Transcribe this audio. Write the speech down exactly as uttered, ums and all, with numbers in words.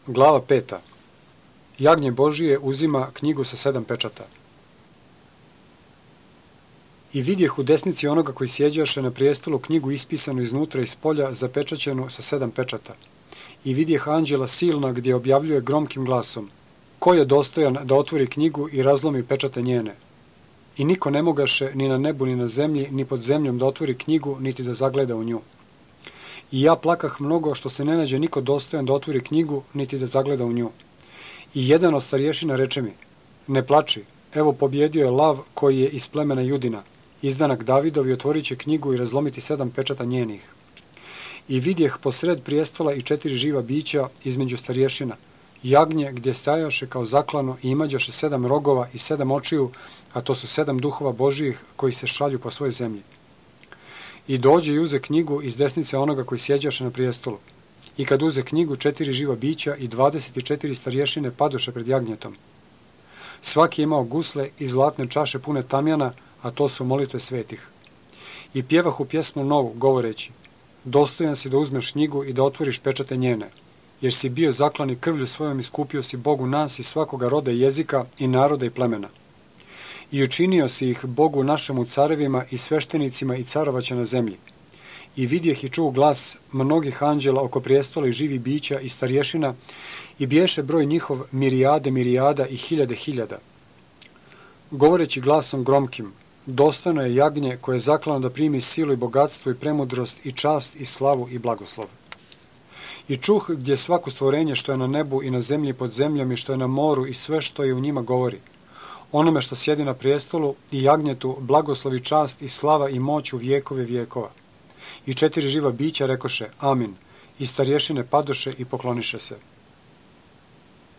Glava peta. Jagnje Božije uzima knjigu sa sedam pečata. I vidjeh u desnici onoga koji sjeđaše na prijestolu knjigu ispisanu iznutra i spolja, zapečaćenu sa sedam pečata. I vidjeh anđela silna gdje objavljuje gromkim glasom: ko je dostojan da otvori knjigu i razlomi pečate njene? I niko ne mogaše ni na nebu, ni na zemlji, ni pod zemljom da otvori knjigu, niti da zagleda u nju. I ja plakah mnogo što se ne nađe niko dostojan da otvori knjigu, niti da zagleda u nju. I jedan od starješina reče mi: ne plači, evo pobjedio je lav koji je iz plemena Judina, izdanak Davidov, i otvorit će knjigu i razlomiti sedam pečata njenih. I vidjeh posred prijestola i četiri živa bića između starješina, jagnje gdje stajaše kao zaklano i imađaše sedam rogova i sedam očiju, a to su sedam duhova Božijih koji se šalju po svojoj zemlji. I dođe i uze knjigu iz desnice onoga koji sjeđaše na prijestolu. I kad uze knjigu, četiri živa bića i dvadeset četiri starješine padoše pred jagnjetom. Svaki je imao gusle i zlatne čaše pune tamjana, a to su molitve svetih. I pjevahu pjesmu novu, govoreći: dostojan si da uzmeš knjigu i da otvoriš pečate njene, jer si bio zaklan i krvlju svojom iskupio si Bogu nas i svakoga roda i jezika i naroda i plemena. I učinio si ih Bogu našemu carevima i sveštenicima i carovaća na zemlji. I vidjeh i čuo glas mnogih anđela oko prijestola i živi bića i starješina, i biješe broj njihov mirijade mirijada i hiljade hiljada. Govoreći glasom gromkim: dostojno je jagnje koje je zaklano da primi silu i bogatstvo i premudrost i čast i slavu i blagoslov. I čuh gdje svako stvorenje što je na nebu i na zemlji pod zemljom i što je na moru i sve što je u njima govori: onome što sjedi na prijestolu i jagnjetu blagoslov i čast i slava i moć u vjekove vjekova. I četiri živa bića rekoše: amin. I starješine padoše i pokloniše se.